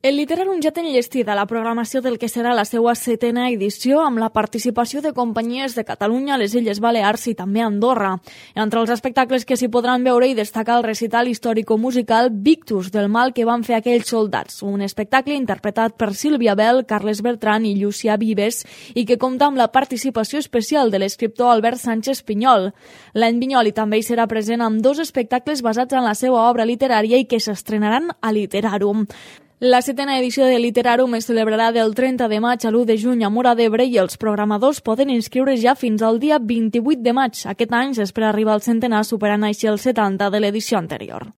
El Literàrum ja té enllestida la programació del que serà la seva 7a edició amb la participació de companyies de Catalunya, les Illes Balears i també Andorra. Entre els espectacles que s'hi podran veure hi destaca el recital històrico-musical Victus del mal que van fer aquells soldats, un espectacle interpretat per Sílvia Bel, Carles Bertran i Llucià Vives i que compta amb la participació especial de l'escriptor Albert Sánchez Pinyol. L'any Vinyoli també hi serà present amb 2 espectacles basats en la seva obra literària i que s'estrenaran a Literàrum. La 7a edició de Literàrum es celebrarà del 30 de maig a l'1 de juny a Móra d'Ebre i els programadors poden inscriure ja fins al dia 28 de maig. Aquest any s'espera arribar al centenar superant així el 70 de l'edició anterior.